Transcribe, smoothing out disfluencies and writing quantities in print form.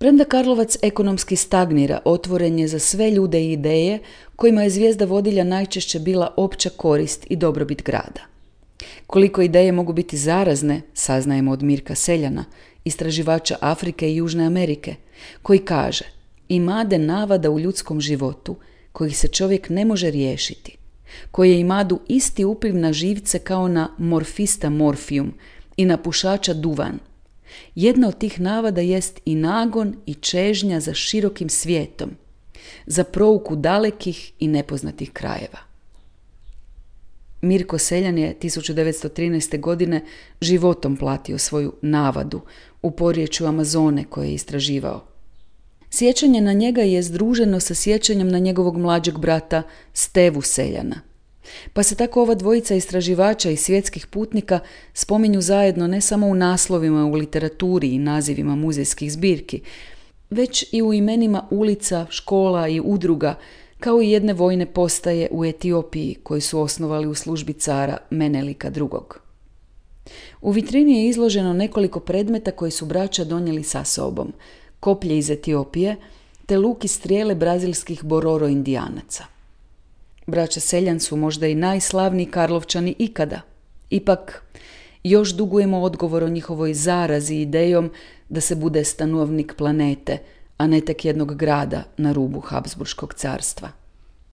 Premda Karlovac ekonomski stagnira, otvoren je za sve ljude i ideje kojima je zvijezda vodilja najčešće bila opća korist i dobrobit grada. Koliko ideje mogu biti zarazne, saznajemo od Mirka Seljana, istraživača Afrike i Južne Amerike, koji kaže: imade navada u ljudskom životu kojih se čovjek ne može riješiti, koje imadu isti upliv na živce kao na morfista morfijum i na pušača duvan. Jedna od tih navada jest i nagon i čežnja za širokim svijetom, za prouku dalekih i nepoznatih krajeva. Mirko Seljan je 1913. godine životom platio svoju navadu u porječju Amazone koje je istraživao. Sjećanje na njega je združeno sa sjećanjem na njegovog mlađeg brata Stevu Seljana. Pa se tako ova dvojica istraživača i svjetskih putnika spominju zajedno ne samo u naslovima u literaturi i nazivima muzejskih zbirki, već i u imenima ulica, škola i udruga, kao i jedne vojne postaje u Etiopiji koji su osnovali u službi cara Menelika II. U vitrini je izloženo nekoliko predmeta koji su braća donijeli sa sobom: koplje iz Etiopije te luk i strijele brazilskih Bororo indijanaca. Braća Seljan su možda i najslavniji Karlovčani ikada. Ipak, još dugujemo odgovor o njihovoj zarazi idejom da se bude stanovnik planete, a ne tek jednog grada na rubu Habsburškog carstva.